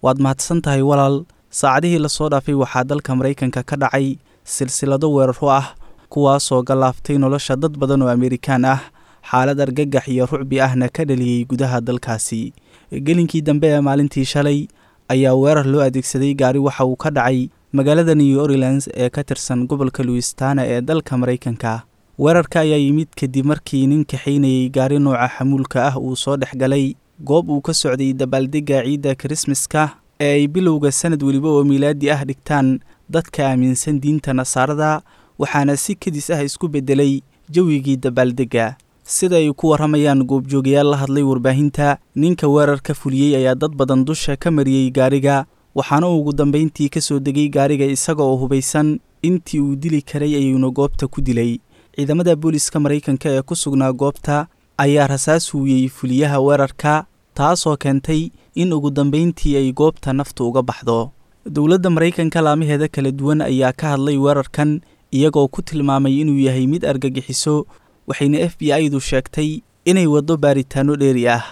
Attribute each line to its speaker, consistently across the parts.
Speaker 1: Waad mahadsan tahay walaal. Saacadihii lasoo dhaafay waxaa dalka Maraykanka ka dhacay silsilado weeraro ah, kuwaasoo galaaftay nolosha dad badan oo Amerikaan ah, xaalad argagax iyo rucbi ahna ka dhaliyey gudaha dalkaasi. Gelinkii dambe ee maalintii shalay ayaa weerar loo adeegsaday gaari waxa uu ka dhacay magaalada New Orleans ee ka tirsan gobolka Louisiana ee dalka Maraykanka. Weerarka ayaa yimid kadib markii nin kaxaynayay gaari nooca xamuulka ah uu soo dhex galay goob uu ka socday dabaaldegga ciidda Kirismaska ee ay bilowga sanad weliba oo miilaadi ah dhigtaan dadka aaminsan diinta Nasaarada, waxaana si kedis ah isku beddelay jawigii dabaaldegga. Sida ay ku warramayaan goobjoogayaal la hadlay warbaahinta, ninka weerarka fuliyey ayaa dad badan dusha ka mariyey gaariga, waxaana uu ugu dambayntii ka soo degay gaariga isaga oo hubaysan. Intii uu dili karay ayuuna goobta ku dilay. Ciidamada booliska Maraykanka ee ku sugnaa goobta ayaa rasaas huuyey fuliyaha weerarka, taasoo keentay in ugu dambayntii ay goobta naftu uga baxdo. Dowladda Maraykanka laamaheeda kala duwan ayaa ka hadlay weerarkan, iyagoo ku tilmaamay inuu yahay mid argagixiso, waxayna FBI-du sheegtay inay waddo baaritaanno dheeri ah.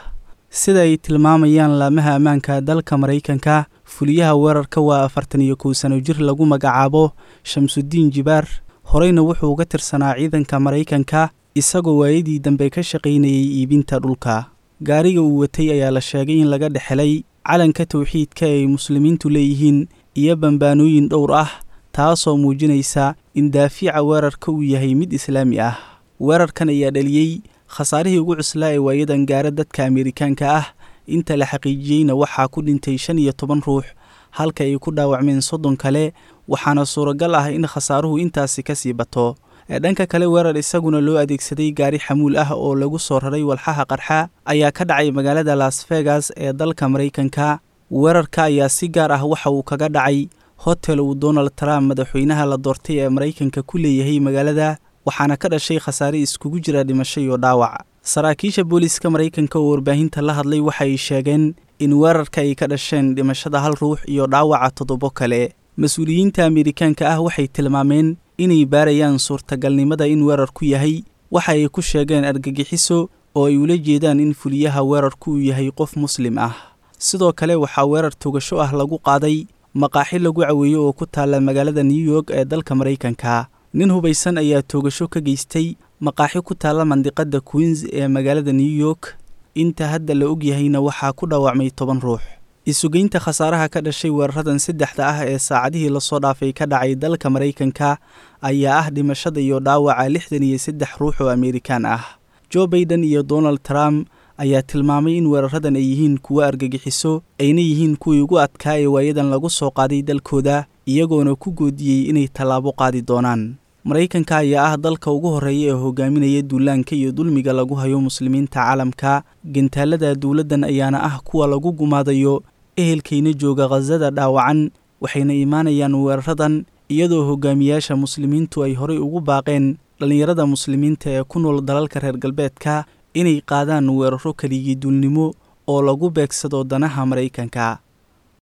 Speaker 1: Sida ay tilmaamayaan laamaha ammaanka dalka Maraykanka, fuliyaha weerarka waa 41 sano jir lagu magacaabo Shamsudiin Jibaar, horeyna wuxuu uga tirsanaa ciidanka Maraykanka, isagoo waayadii dambe ka shaqaynayay iibinta dhulka. Gaariga uu watay ayaa la sheegay in laga dhexelay calanka tawxiidka ay muslimiintu leeyihiin iyo bambaanooyin dhowr ah, taasoo muujinaysa in daafica weerarka uu yahay mid islaami ah. Weerarkan ayaa dhaliyey khasaarihii ugu cuslaa ee waayadan gaara dadka Ameerikaanka ah. Inta la xaqiijiyeyna waxaa ku dhintay 15 ruux, halka ay ku dhaawacmeen 30 kale, waxaana suuragal ah in khasaaruhu intaasi ka sii bato. Dhanka kale, weerar isaguna loo adeegsaday gaari xamuul ah oo lagu soo raray walxaha qarxa ayaa ka dhacay magaalada Las Vegas ee dalka Maraykanka. Weerarka ayaa si gaar ah waxa uu kaga dhacay hotel uu Donald Trump, madaxweynaha la doortay ee Maraykanka, ku leeyahay magaalada, waxaana ka dhashay khasaare iskugu jira dhimasho iyo dhaawac. Saraakiisha booliiska Maraykanka oo warbaahinta la hadlay waxa ay sheegeen in weerarka ay ka dhasheen dhimashada hal ruux iyo dhaawaca 7 kale. Mas-uuliyiinta Ameerikaanka ah waxay tilmaameen inay baarayaan suurtagalnimada in weerarku yahay waxa ay ku sheegeen argagixiso, oo ay ula jeedaan in fuliyaha weerarku uu yahay qof muslim ah. Sidoo kale waxaa weerar togasho ah lagu qaaday maqaaxi lagu caweeyo oo ku taalla magaalada New York ee dalka Maraykanka. Nin hubaysan ayaa toogasho ka geystay maqaaxi ku taalla mandiqada Queens ee magaalada New York. Inta hadda la ogyahayna waxaa ku dhaawacmay 10 ruux. Isugeynta khasaaraha ka dhashay weeraradan saddexda ah ee saacadihii lasoo dhaafay ka dhacay dalka Maraykanka ayaa ah dhimashada iyo dhaawaca 63 ruux oo Ameerikaan ah. Joe Biden iyo Donald Trump ayaa tilmaamay in weeraradan ay yihiin kuwo argagixiso, ayna yihiin kuwii ugu adkaa ee waayadan lagu soo qaaday dalkooda, iyagoona ku goodiyey inay tallaabo qaadi doonaan. Maraykanka ayaa ah dalka ugu horreeya ee hogaaminaya duulaanka iyo dulmiga lagu hayo muslimiinta caalamka. Gantaalada dowladdan ayaana ah kuwa lagu gumaadayo ehelkayna jooga Khasada dhaawacan, waxayna imaanayaan weeraradan iyadoo hogaamiyaasha muslimiintu ay horey ugu baaqeen dhallinyarada muslimiinta ee ku nool dalalka reer galbeedka inay qaadaan weeraro keligii duulnimo oo lagu beegsado danaha Maraykanka.